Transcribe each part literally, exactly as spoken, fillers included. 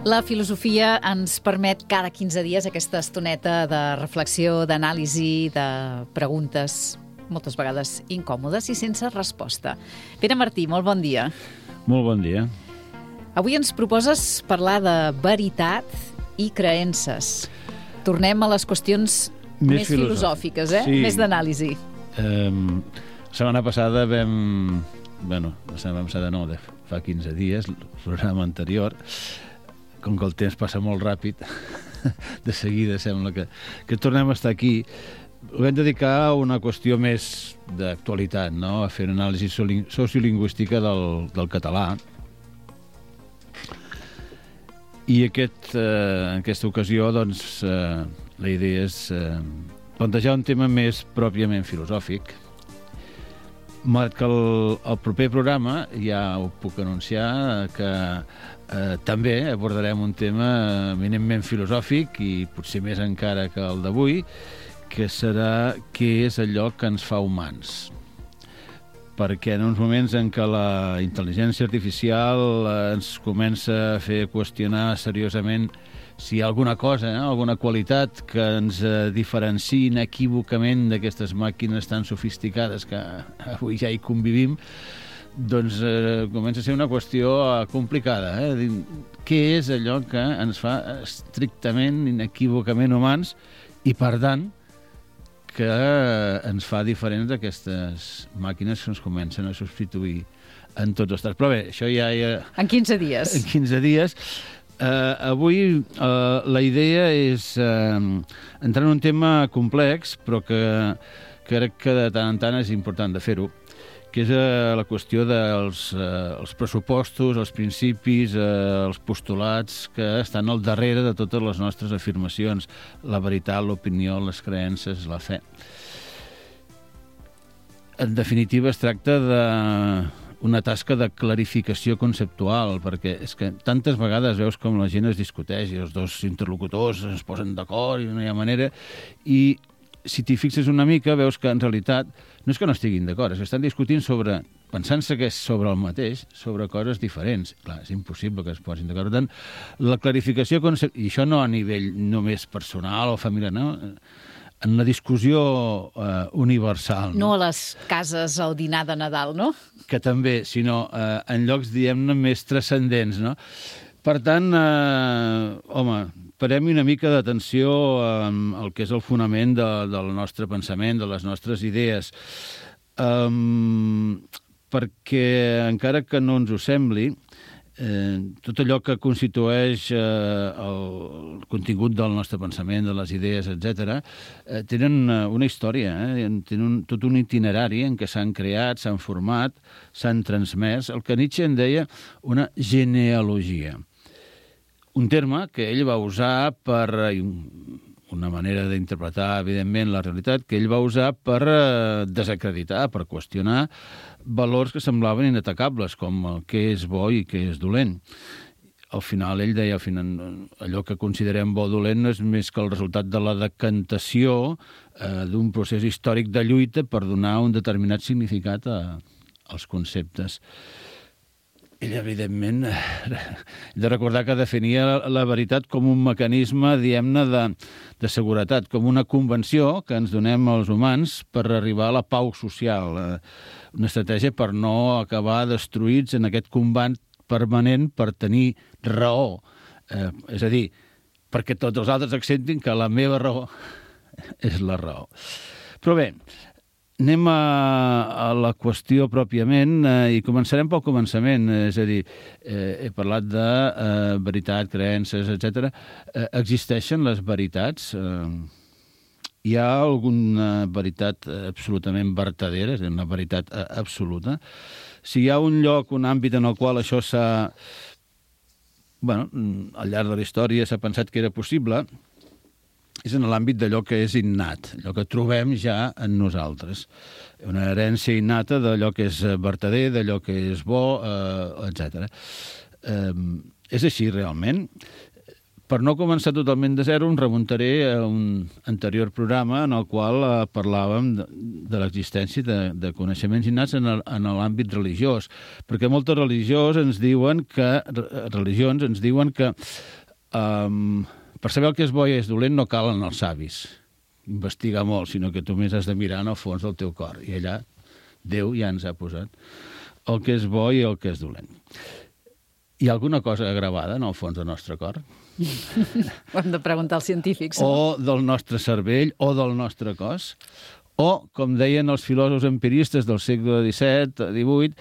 La filosofia ens permet cada quinze dies aquesta estoneta de reflexió, d'anàlisi, de preguntes, moltes vegades incòmodes i sense resposta. Pere Martí, molt bon dia. Molt bon dia. Avui ens proposes parlar de veritat i creences. Tornem a les qüestions més, més filosòfiques, eh? Sí. Més d'anàlisi. Um, la setmana passada vam... Bueno, la setmana passada no, de fa quinze dies, el programa anterior, com que el temps passa molt ràpid, de seguida sembla que, que tornem a estar aquí. Ho vam dedicar a una qüestió més d'actualitat, no? A fer una anàlisi sociolingüística del, del català. I aquest, eh, en aquesta ocasió, doncs, eh, la idea és eh, plantejar un tema més pròpiament filosòfic. Malgrat que el, el proper programa, ja ho puc anunciar, que eh, també abordarem un tema eminentment filosòfic i potser més encara que el d'avui, que serà què és allò que ens fa humans. Perquè en uns moments en què la intel·ligència artificial ens comença a fer qüestionar seriosament si hi ha alguna cosa, eh, alguna qualitat que ens eh, diferenciï inequívocament d'aquestes màquines tan sofisticades que avui ja hi convivim, doncs eh, comença a ser una qüestió complicada. Eh? Què és allò que ens fa estrictament, inequívocament humans i, per tant, que ens fa diferents d'aquestes màquines que ens comencen a substituir en tots els estats. Però bé, això ja... ja... En quinze dies. En quinze dies. Uh, avui uh, la idea és uh, entrar en un tema complex, però que crec que de tant en tant és important de fer-ho, que és uh, la qüestió dels uh, els pressupostos, els principis, uh, els postulats que estan al darrere de totes les nostres afirmacions, la veritat, l'opinió, les creences, la fe. En definitiva, es tracta de una tasca de clarificació conceptual, perquè és que tantes vegades veus com la gent es discuteix i els dos interlocutors es posen d'acord i no hi ha manera, i si t'hi fixes una mica veus que en realitat no és que no estiguin d'acord, és que estan discutint sobre, pensant-se que és sobre el mateix, sobre coses diferents. Clar, és impossible que es posin d'acord. Per tant, la clarificació conceptual, i això no a nivell només personal o familiar, no? En la discussió eh, universal. No? no a les cases al dinar de Nadal, no? Que també, sinó eh, en llocs, diguem-ne, més transcendents, no? Per tant, eh, home, parem una mica d'atenció al que és el fonament de, del nostre pensament, de les nostres idees, um, perquè encara que no ens ho sembli, Eh, tot allò que constitueix eh, el contingut del nostre pensament, de les idees, etcètera, eh, tenen una història, eh? Tenen tot un itinerari en què s'han creat, s'han format, s'han transmès, el que Nietzsche en deia una genealogia. Un terme que ell va usar per una manera d'interpretar, evidentment, la realitat, que ell va usar per eh, desacreditar, per qüestionar valors que semblaven inatacables, com el què és bo i què és dolent. Al final, ell deia, al final, allò que considerem bo o dolent no és més que el resultat de la decantació eh, d'un procés històric de lluita per donar un determinat significat a, als conceptes. Ell, evidentment, he de recordar que definia la veritat com un mecanisme, diguem-ne, de, de seguretat, com una convenció que ens donem els humans per arribar a la pau social, una estratègia per no acabar destruïts en aquest combat permanent per tenir raó. Eh, és a dir, perquè tots els altres acceptin que la meva raó és la raó. Però bé, anem a, a la qüestió pròpiament eh, i començarem pel començament, eh, és a dir, eh, he parlat de eh, veritat, creences, etcètera. Eh, existeixen les veritats? Eh, hi ha alguna veritat absolutament vertadera, és a dir, una veritat eh, absoluta? Si hi ha un lloc, un àmbit en el qual això s'ha... Bueno, al llarg de la història s'ha pensat que era possible, és en l'àmbit d'allò que és innat, allò que trobem ja en nosaltres. Una herència innata d'allò que és vertader, d'allò que és bo, eh, etcètera. Eh, és així, realment. Per no començar totalment de zero, em remuntaré a un anterior programa en el qual eh, parlàvem de, de l'existència de, de coneixements innats en el, en l'àmbit religiós, perquè moltes religions ens diuen que religions ens diuen que Um, per saber el que és bo i és dolent no calen els savis, investigar molt, sinó que tu més has de mirar en el fons del teu cor. I allà Déu ja ens ha posat el que és bo i el que és dolent. Hi ha alguna cosa gravada en el fons del nostre cor? Ho hem de preguntar als científics. O del nostre cervell, o del nostre cos? O, com deien els filòsofs empiristes del segle disset, divuit,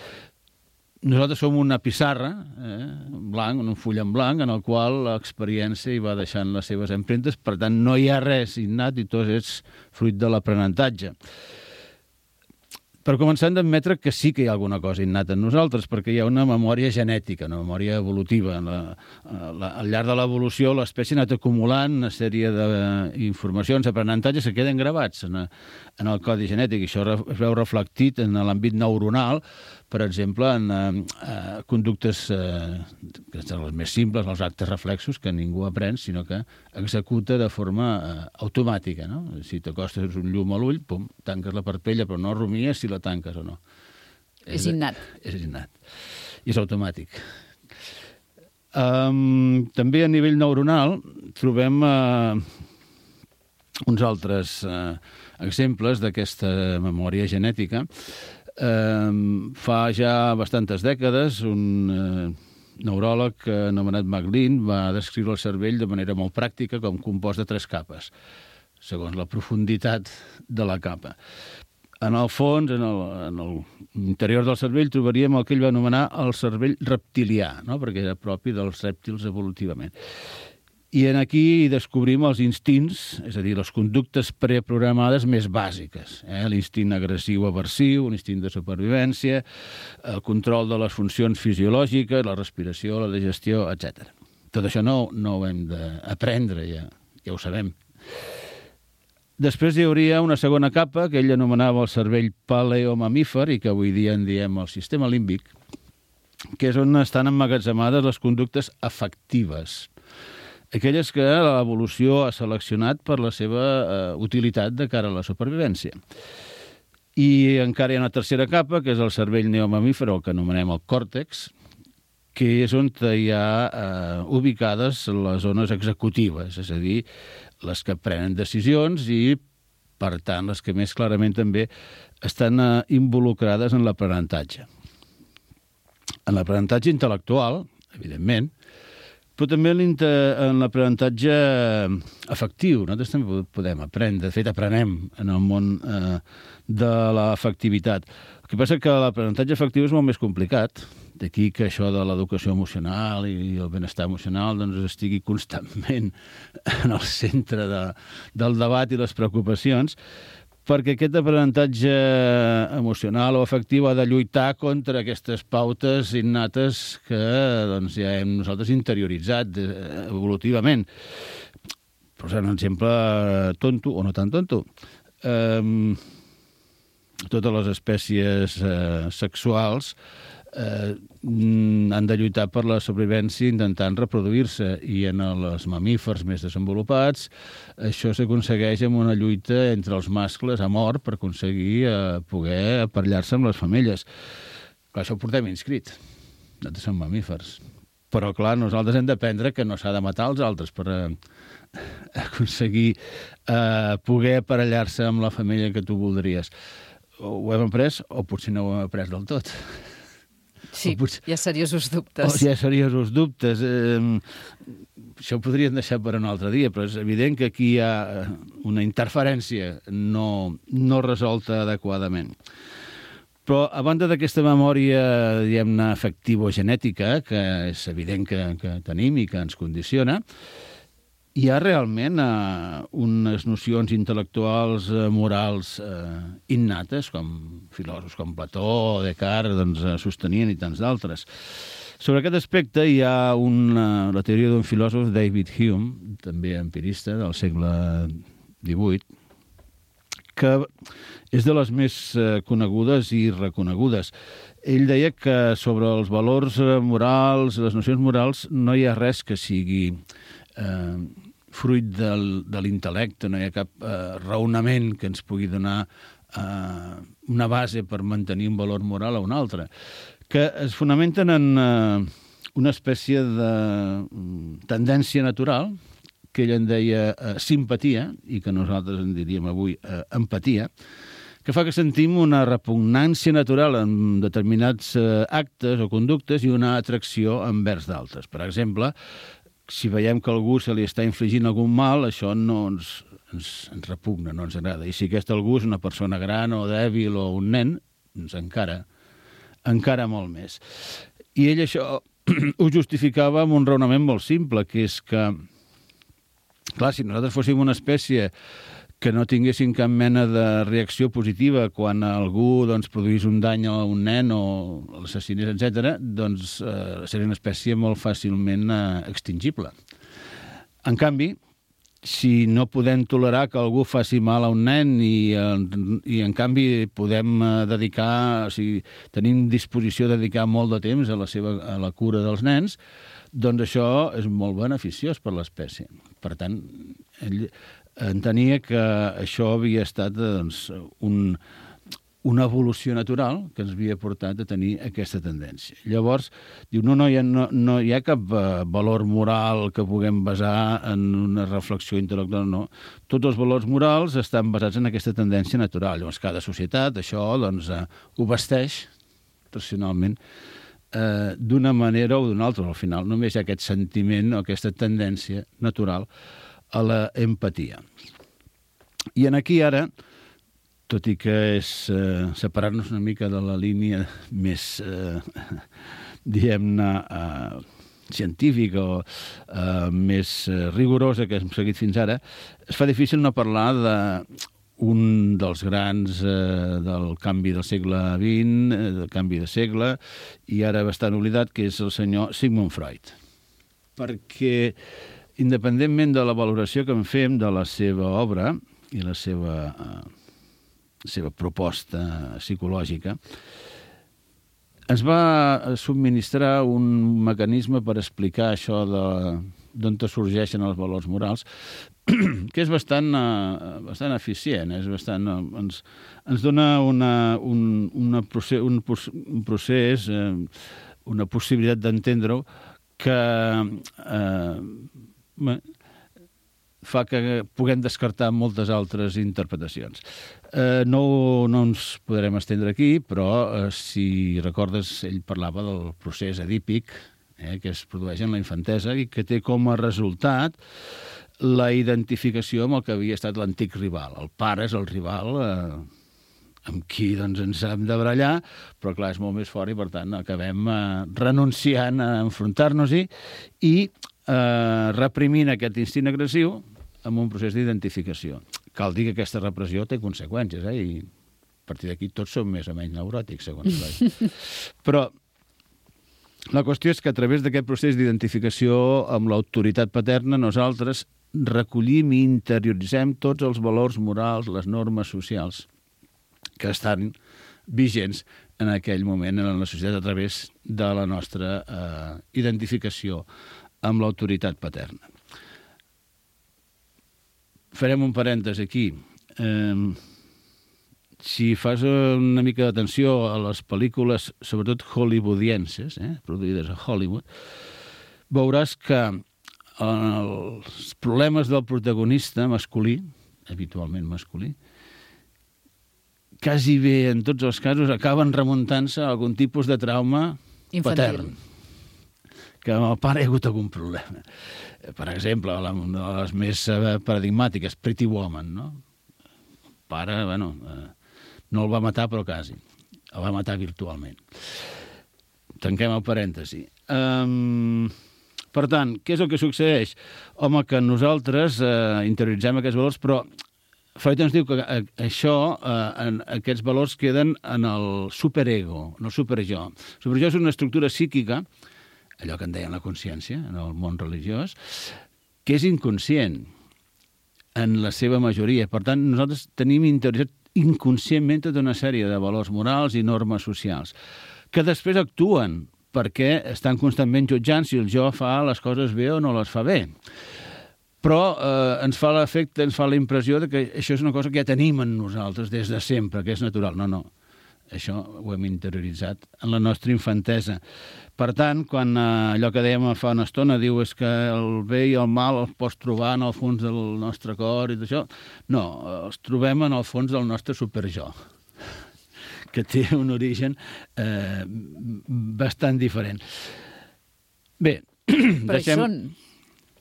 nosaltres som una pissarra, eh, blanc, un full en blanc, en el qual l'experiència hi va deixant les seves empremtes, per tant, no hi ha res innat i tot és fruit de l'aprenentatge. Per començar, hem d'admetre que sí que hi ha alguna cosa innata en nosaltres, perquè hi ha una memòria genètica, una memòria evolutiva. La, la, al llarg de l'evolució, l'espècie ha anat acumulant una sèrie d'informacions, aprenentatges que queden gravats en, en el codi genètic. I això es veu reflectit en l'àmbit neuronal, per exemple, en eh, conductes eh, que són les més simples, els actes reflexos, que ningú aprèn, sinó que executa de forma eh, automàtica. No? Si t'acostes un llum a l'ull, pum, tanques la parpella, però no rumies si la tanques o no. És, és innat. És innat. I és automàtic. Um, també a nivell neuronal trobem uh, uns altres uh, exemples d'aquesta memòria genètica. Uh, fa ja bastantes dècades un uh, neuròleg anomenat MacLean va descriure el cervell de manera molt pràctica com compost de tres capes, segons la profunditat de la capa. En el fons, en el, en el interior del cervell, trobaríem el que ell va anomenar el cervell reptilià, no? Perquè era propi dels rèptils evolutivament. I en aquí descobrim els instints, és a dir, les conductes preprogramades més bàsiques. Eh? L'instint agressiu-aversiu, l'instint de supervivència, el control de les funcions fisiològiques, la respiració, la digestió, etcètera. Tot això no, no ho hem d'aprendre, ja, ja ho sabem. Després hi hauria una segona capa que ell anomenava el cervell paleomamífer i que avui dia en diem el sistema límbic, que és on estan emmagatzemades les conductes afectives, aquelles que l'evolució ha seleccionat per la seva eh, utilitat de cara a la supervivència. I encara hi ha una tercera capa, que és el cervell neomamífer, el que anomenem el còrtex, que és on hi ha eh, ubicades les zones executives, és a dir, les que prenen decisions i, per tant, les que més clarament també estan eh, involucrades en l'aprenentatge. En l'aprenentatge intel·lectual, evidentment, però també en l'aprenentatge afectiu. Nosaltres també podem aprendre, de fet, aprenem en el món eh, de l'afectivitat. El que passa és que l'aprenentatge afectiu és molt més complicat, d'aquí que això de l'educació emocional i el benestar emocional doncs, estigui constantment en el centre de, del debat i les preocupacions, perquè aquest aprenentatge emocional o afectiu ha de lluitar contra aquestes pautes innates que doncs, ja hem nosaltres interioritzat evolutivament. Per posar un exemple tonto o no tan tonto. Um, totes les espècies uh, sexuals eh, han de lluitar per la sobrevivència intentant reproduir-se, i en els mamífers més desenvolupats això s'aconsegueix amb una lluita entre els mascles a mort per aconseguir eh, poder aparellar-se amb les femelles. Clar, això ho portem inscrit. Nosaltres som mamífers. Però, clar, nosaltres hem d'aprendre que no s'ha de matar els altres per eh, aconseguir eh, poder aparellar-se amb la família que tu voldries. Ho hem après o potser no ho hem après del tot. Sí, potser... hi ha seriosos dubtes. O hi ha seriosos dubtes. Eh, això ho podríem deixar per un altre dia, però és evident que aquí hi ha una interferència no, no resolta adequadament. Però, a banda d'aquesta memòria, diguem-ne, afectivo-genètica, que és evident que, que tenim i que ens condiciona, hi ha realment eh, unes nocions intel·lectuals, eh, morals eh, innates, com filòsofs com Plató o Descartes doncs, eh, sostenien, i tants d'altres. Sobre aquest aspecte hi ha una, la teoria d'un filòsof, David Hume, també empirista del segle divuit, que és de les més eh, conegudes i reconegudes. Ell deia que sobre els valors morals, les nocions morals, no hi ha res que sigui eh, fruit del, de l'intel·lecte, no hi ha cap eh, raonament que ens pugui donar eh, una base per mantenir un valor moral o un altre, que es fonamenten en eh, una espècie de tendència natural, que ell en deia eh, simpatia, i que nosaltres en diríem avui eh, empatia, que fa que sentim una repugnància natural en determinats eh, actes o conductes i una atracció envers d'altres. Per exemple, si veiem que algú se li està infligint algun mal, això no ens, ens, ens repugna, no ens agrada. I si aquest algú és una persona gran o dèbil o un nen, doncs encara, encara molt més. I ell això ho justificava amb un raonament molt simple, que és que, clar, si nosaltres fóssim una espècie que no tinguessin cap mena de reacció positiva quan algú doncs, produís un dany a un nen o l'assassinés, etcètera, doncs eh, seria una espècie molt fàcilment eh, extingible. En canvi, si no podem tolerar que algú faci mal a un nen i, i en canvi podem eh, dedicar, o sigui, tenim disposició de dedicar molt de temps a la, seva, a la cura dels nens, doncs això és molt beneficiós per l'espècie. Per tant, ell entenia que això havia estat doncs, un, una evolució natural que ens havia portat a tenir aquesta tendència. Llavors, diu, no, no, hi ha, no, no hi ha cap uh, valor moral que puguem basar en una reflexió intel·lectual, no. Tots els valors morals estan basats en aquesta tendència natural. Llavors, cada societat, això, doncs, uh, ho vesteix racionalment eh, d'una manera o d'una altra. Al final, només hi ha aquest sentiment o aquesta tendència natural a la empatia. I en aquí ara, tot i que és eh, separar-nos una mica de la línia més, eh, diguem-ne, eh, científica o eh, més eh, rigorosa que hem seguit fins ara, es fa difícil no parlar d'un dels grans eh, del canvi del segle vint, eh, del canvi de segle, i ara bastant oblidat, que és el senyor Sigmund Freud. Perquè independentment de la valoració que en fem de la seva obra i la seva, eh, seva proposta psicològica, ens va subministrar un mecanisme per explicar això d'on sorgeixen els valors morals, que és bastant, eh, bastant eficient, és bastant, eh, ens, ens dona una, un, una procés, un, un procés, eh, una possibilitat d'entendre-ho que eh, fa que puguem descartar moltes altres interpretacions. Eh, no, no ens podrem estendre aquí, però eh, si recordes, ell parlava del procés edípic eh, que es produeix en la infantesa i que té com a resultat la identificació amb el que havia estat l'antic rival. El pare és el rival eh, amb qui doncs, ens hem de barallar, però clar, és molt més fort i per tant acabem eh, renunciant a enfrontar-nos-hi i eh, reprimint aquest instint agressiu amb un procés d'identificació. Cal dir que aquesta repressió té conseqüències, eh? I a partir d'aquí tots som més o menys neuròtics, segons Freud. Però la qüestió és que a través d'aquest procés d'identificació amb l'autoritat paterna nosaltres recollim i interioritzem tots els valors morals, les normes socials que estan vigents en aquell moment en la societat a través de la nostra eh, identificació amb l'autoritat paterna. Farem un parèntesi aquí. Eh, si fas una mica d'atenció a les pel·lícules, sobretot hollywoodienses, eh, produïdes a Hollywood, veuràs que els problemes del protagonista masculí, habitualment masculí, quasi bé en tots els casos acaben remuntant-se a algun tipus de trauma infantil, patern, que amb el pare hi ha hagut algun problema. Per exemple, una de les més paradigmàtiques, Pretty Woman, no? El pare, bueno, no el va matar, però quasi. El va matar virtualment. Tanquem el parèntesi. Um, per tant, què és el que succeeix? Home, que nosaltres eh, interioritzem aquests valors, però Freud ens diu que això, eh, aquests valors queden en el superego, en el superjo. El superjo és una estructura psíquica, allò que en deien la consciència, en el món religiós, que és inconscient en la seva majoria. Per tant, nosaltres tenim interioritzat inconscientment tota una sèrie de valors morals i normes socials, que després actuen perquè estan constantment jutjant si el jo fa les coses bé o no les fa bé. Però eh, ens fa l'efecte, ens fa la impressió de que això és una cosa que ja tenim en nosaltres des de sempre, que és natural. No, no. Això ho hem interioritzat en la nostra infantesa. Per tant, quan eh, allò que dèiem fa una estona, diu és que el bé i el mal els pots trobar en el fons del nostre cor i d'això, no, els trobem en el fons del nostre superjo, que té un origen eh, bastant diferent. Bé, però deixem... hi són.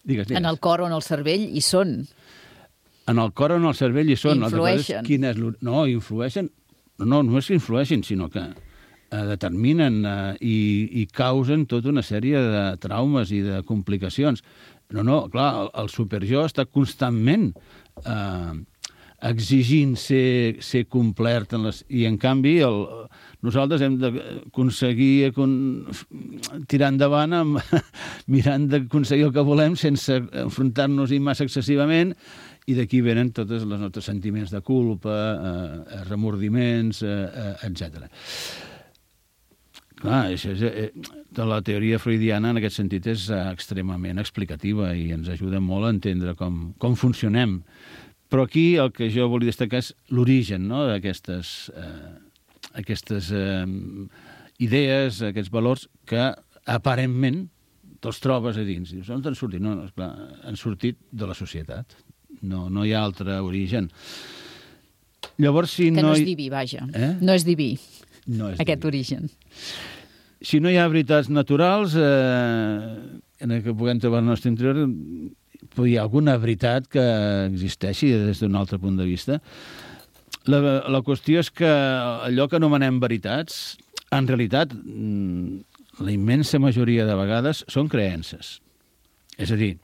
Digues, digues. En el cor o en el cervell hi són. En el cor o en el cervell hi són. Influeixen. Quin és no, influeixen. No, no és que influeixin, sinó que eh, determinen eh, i, i causen tota una sèrie de traumes i de complicacions. No, no, clar, el, el superjo està constantment eh, exigint ser, ser complert en les, i, en canvi, el, nosaltres hem d'aconseguir con, tirar endavant amb, mirant d'aconseguir el que volem sense enfrontar-nos-hi massa excessivament, i d'aquí venen tots els nostres sentiments de culpa, eh, remordiments, eh, etcètera. Clar, això és, eh, la teoria freudiana en aquest sentit és extremament explicativa i ens ajuda molt a entendre com, com funcionem. Però aquí el que jo volia destacar és l'origen, no?, d'aquestes eh, aquestes eh, idees, aquests valors que aparentment te'ls trobes a dins. Dius, on han sortit? No, no, esclar, han sortit de la societat. No, no hi ha altre origen. Llavors, si que no... no és hi... diví, vaja. Eh? No és diví, no és aquest diví. origen. Si no hi ha veritats naturals, eh, en el que puguem trobar el nostre interior, hi ha alguna veritat que existeixi des d'un altre punt de vista. La, la qüestió és que allò que anomenem veritats, en realitat, la immensa majoria de vegades són creences. És a dir,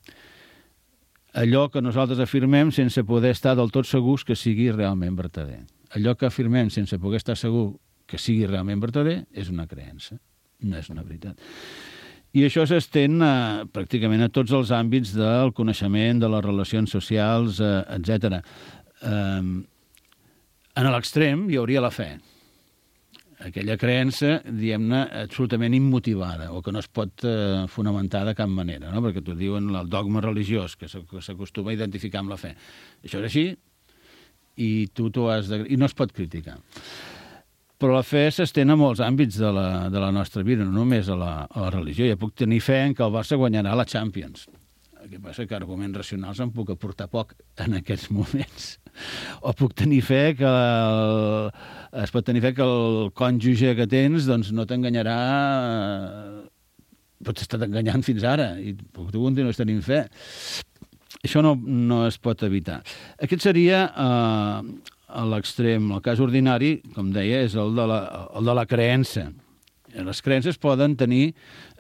allò que nosaltres afirmem sense poder estar del tot segurs que sigui realment vertader. Allò que afirmem sense poder estar segur que sigui realment vertader és una creença, no és una veritat. I això s'estén a, pràcticament a tots els àmbits del coneixement, de les relacions socials, eh, etcètera. Eh, en l'extrem hi hauria la fe. Aquella creença, diguem-ne, absolutament immotivada o que no es pot eh, fonamentar de cap manera, no? Perquè t'ho diuen el dogma religiós, que s'acostuma a identificar amb la fe. Això és així i tu t'ho has de... i no es pot criticar. Però la fe s'estén a molts àmbits de la, de la nostra vida, no només a la, a la religió. Ja puc tenir fe en que el Barça guanyarà la Champions. El que passa que arguments racionals em puc aportar poc en aquests moments. O puc tenir fe que el, es pot tenir fe que el cònjuge que tens doncs no t'enganyarà, pots estar enganyant fins ara i tu continues tenint fe. Això no, no es pot evitar. Aquest seria eh, a l'extrem. El cas ordinari, com deia, és el de la, el de la creença. Les creences poden tenir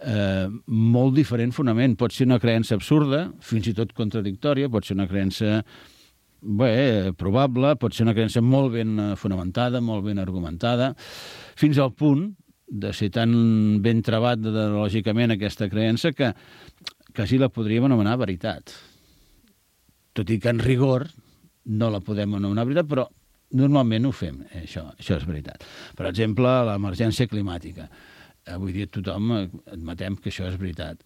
eh, molt diferent fonament. Pot ser una creença absurda, fins i tot contradictòria, pot ser una creença bé, probable, pot ser una creença molt ben fonamentada, molt ben argumentada, fins al punt de ser tan ben trebat lògicament aquesta creença que quasi la podríem anomenar veritat. Tot i que en rigor no la podem anomenar veritat, però normalment ho fem, això, això és veritat. Per exemple, l'emergència climàtica. Avui dia tothom admetem que això és veritat.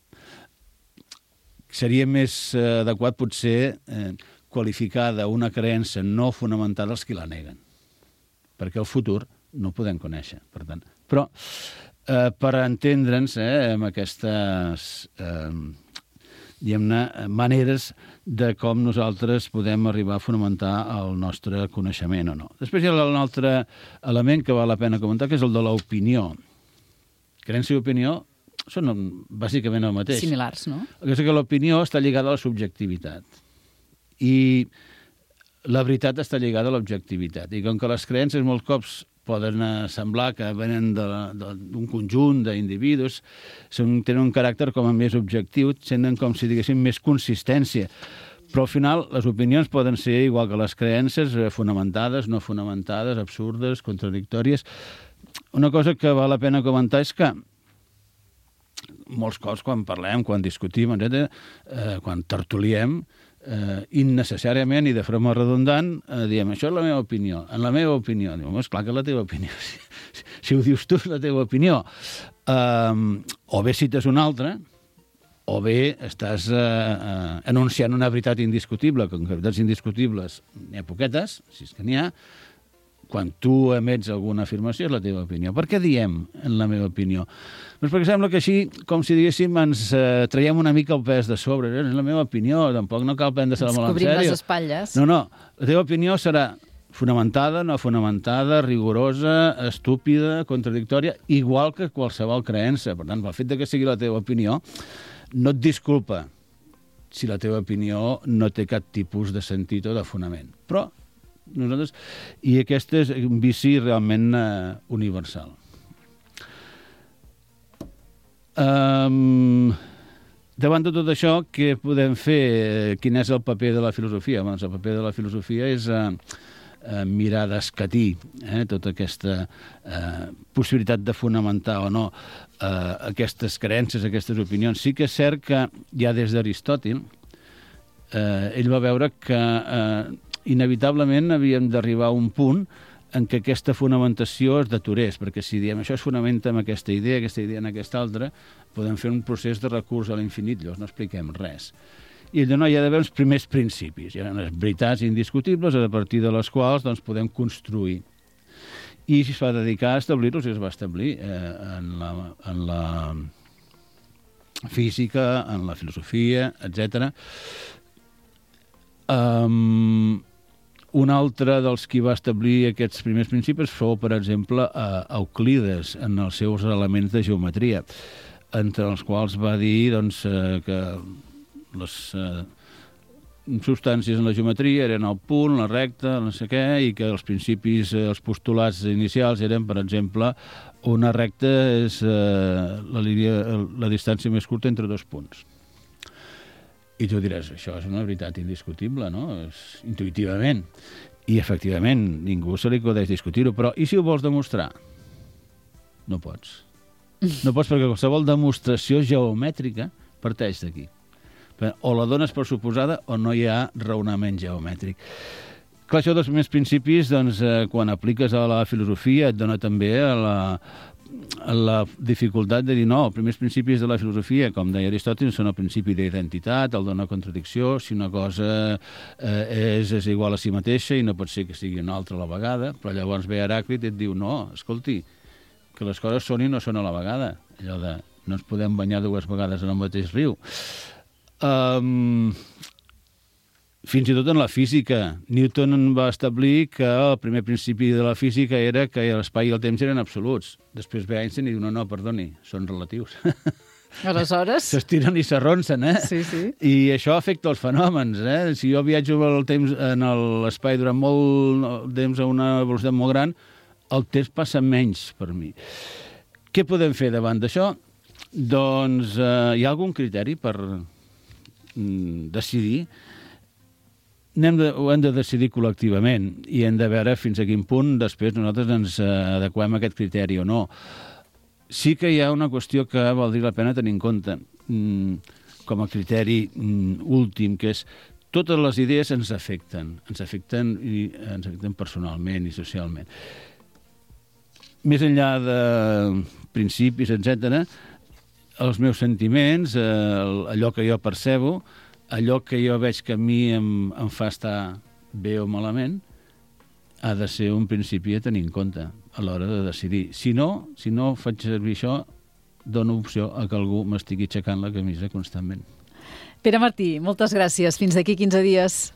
Seria més adequat, potser, eh, qualificar d'una creença no fonamentada els que la neguen, perquè el futur no ho podem conèixer, per tant. Però, eh, per entendre'ns eh, amb aquestes... Eh, diguem-ne, maneres de com nosaltres podem arribar a fonamentar el nostre coneixement o no. Després hi ha un altre element que val la pena comentar, que és el de l'opinió. Creença i opinió són bàsicament el mateix. Similars, no? El que és que l'opinió està lligada a la subjectivitat i la veritat està lligada a l'objectivitat. I com que les creences molts cops poden semblar que venen d'un conjunt d'individus, tenen un caràcter com a més objectiu, tenen com si diguéssim més consistència. Però al final les opinions poden ser igual que les creences, fonamentades, no fonamentades, absurdes, contradictòries. Una cosa que val la pena comentar és que molts cops quan parlem, quan discutim, etcètera, eh, quan tertuliem, eh, innecessàriament i de forma redundant, eh, diem, això és la meva opinió. En la meva opinió. Diu, és clar que és la teva opinió. Si, si ho dius tu, és la teva opinió. Eh, o bé cites una altra, o bé estàs eh, eh, anunciant una veritat indiscutible, que en veritats indiscutibles n'hi ha poquetes, si és que n'hi ha, quan tu emets alguna afirmació, és la teva opinió. Per què diem en la meva opinió? Doncs perquè sembla que així, com si diguéssim, ens eh, traiem una mica el pes de sobre. És la meva opinió, tampoc no cal prendre-se-la molt en sèrio. Ens cobrim les espatlles. No, no, la teva opinió serà fonamentada, no fonamentada, rigorosa, estúpida, contradictòria, igual que qualsevol creença. Per tant, el fet de que sigui la teva opinió no et disculpa si la teva opinió no té cap tipus de sentit o de fonament. Però nosaltres... I aquest és un vici realment eh, universal. Um, davant de tot això, què podem fer? Quin és el paper de la filosofia? Doncs el paper de la filosofia és eh, eh, mirar d'escatir eh, tota aquesta eh, possibilitat de fonamentar o no eh, aquestes creences, aquestes opinions. Sí que és cert que ja des d'Aristòtil eh, ell va veure que eh, inevitablement havíem d'arribar a un punt en què aquesta fonamentació es deturés, perquè si diem això es fonamenta en aquesta idea, aquesta idea en aquesta altra, podem fer un procés de recurs a l'infinit, llavors no expliquem res. I ell no, hi ha d'haver uns primers principis, hi ha unes veritats indiscutibles a partir de les quals doncs, podem construir. I es va dedicar a establir-los i es va establir eh, en, la, en la física, en la filosofia, etcètera. Um, Un altre dels qui va establir aquests primers principis fou, per exemple, Euclides, en els seus elements de geometria, entre els quals va dir doncs, que les eh, substàncies en la geometria eren el punt, la recta, no sé què, i que els principis, els postulats inicials eren, per exemple, una recta és eh, la, línia, la distància més curta entre dos punts. I tu diràs, això és una veritat indiscutible, no? És intuïtivament. I, efectivament, ningú se li acudeix discutir-ho. Però, i si ho vols demostrar? No pots. No pots perquè qualsevol demostració geomètrica parteix d'aquí. O la dones per suposada o no hi ha raonament geomètric. Clar, això dels primers principis, doncs, eh, quan apliques a la filosofia, et dona també a la... la dificultat de dir no, els primers principis de la filosofia, com deia Aristòtil, són el principi d'identitat, el de no contradicció, si una cosa eh, és, és igual a si mateixa i no pot ser que sigui una altra a la vegada, però llavors ve Heràclit i et diu no, escolti, que les coses són i no són a la vegada, allò de no ens podem banyar dues vegades en el mateix riu. Um, Fins i tot en la física. Newton va establir que el primer principi de la física era que l'espai i el temps eren absoluts. Després ve Einstein i diu, no, no, perdoni, són relatius. Aleshores... S'estiren i s'arronsen, eh? Sí, sí. I això afecta els fenòmens, eh? Si jo viatjo el temps en l'espai durant molt temps a una velocitat molt gran, el temps passa menys per mi. Què podem fer davant d'això? Doncs eh, hi ha algun criteri per mm, decidir? Hem de, ho hem de decidir col·lectivament i hem de veure fins a quin punt després nosaltres ens adequem a aquest criteri o no. Sí que hi ha una qüestió que valdria la pena tenir en compte mm, com a criteri mm, últim, que és totes les idees ens afecten, ens afecten i ens afecten personalment i socialment. Més enllà de principis, etcètera, els meus sentiments, eh, allò que jo percebo, allò que jo veig que a mi em, em fa estar bé o malament, ha de ser un principi a tenir en compte a l'hora de decidir. Si no, si no faig servir això, dono opció a que algú m'estigui aixecant la camisa constantment. Pere Martí, moltes gràcies. Fins d'aquí quinze dies.